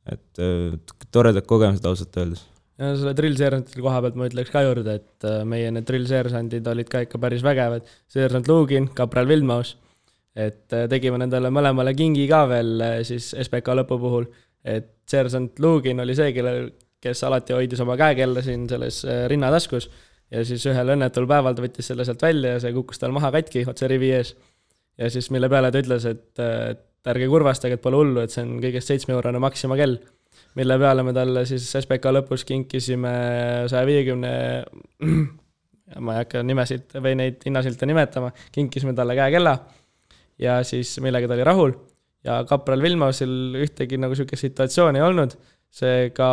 et toredad kogemused ausalt öeldes. Ja selle drillseersantide koha pealt ma ütleks ka juurde, et meie need drillseersandid olid ka ikka päris vägevad. Seersant Lugin, kapral Vildmaus, et tegime nendele mõlemale kingi ka veel siis SPK lõpu puhul, et seersant Lugin oli see, kes alati hoidis oma käekella siin selles rinnataskus ja siis ühel õnnetul päeval ta võttis selle sealt välja ja see kukkus tal maha katki otse rivi ees. Ja siis mille peale ta ütles, et ärge kurvastage, et pole hullu, et see on kõigest 7-eurone Maxima kell, mille peale me talle siis SPK lõpus kinkisime 150, ma ei hakka nimesid või neid hinnasilte nimetama, kinkisime talle käekella ja siis millega ta oli rahul ja kapral Vilmausil ühtegi nagu sükest situatsiooni ei olnud, seega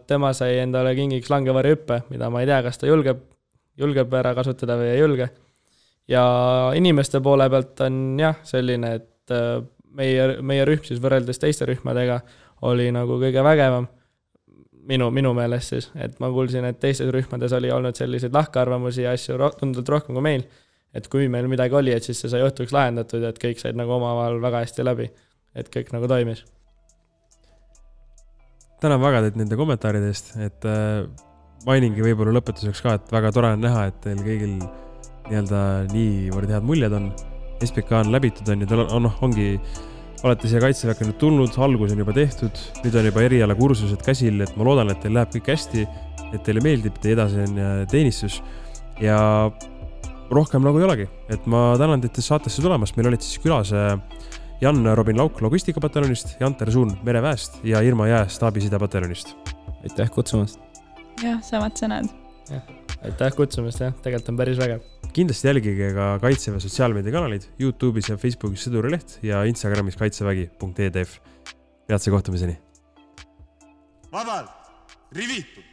tema sai endale kingiks langevari hüppe, mida ma ei tea, kas ta julgeb ära kasutada või ei julge. Ja inimeste poole pealt on jah selline, et meie rühm siis võrreldes teiste rühmadega oli nagu kõige vägevam minu meelest siis, et ma kuulsin, et teistes rühmades oli olnud selliseid lahkarvamusi ja asju tunduvalt rohkem kui meil, et kui meil midagi oli, et siis see sai õhtuks lahendatud ja et kõik said nagu omavahel väga hästi läbi, et kõik nagu toimis. Tänan väga teid nende kommentaaride eest, et mainingi võib-olla lõpetuseks ka, et väga tore on näha, et teil kõigil niivõrd head muljed on. SPK on läbitud on ja ongi olete siia kaitseväkke nüüd tulnud, algus on juba tehtud, nüüd on juba eriala kursused käsil, et ma loodan, et teil läheb kõik hästi, et teile meeldib, teie edasi on teenistus ja rohkem nagu ei olegi, et ma tänan teid saatesse tulemast, meil olid siis külas Jan Robin Lauk logistikapataljonist, Janter Suun mereväest ja Irma Jää staabisidapataljonist. Aitäh kutsumast! Jah, samad sõnad. Aitäh kutsumast, jah, tegelikult on päris vägev. Kindlasti jälgige ka Kaitseväe sotsiaalmeediakanalid YouTube'is ja Facebookis Sõdurileht ja Instagramis kaitsevägi.edf. Peatse kohtumiseni! Vabalt! Rivitud!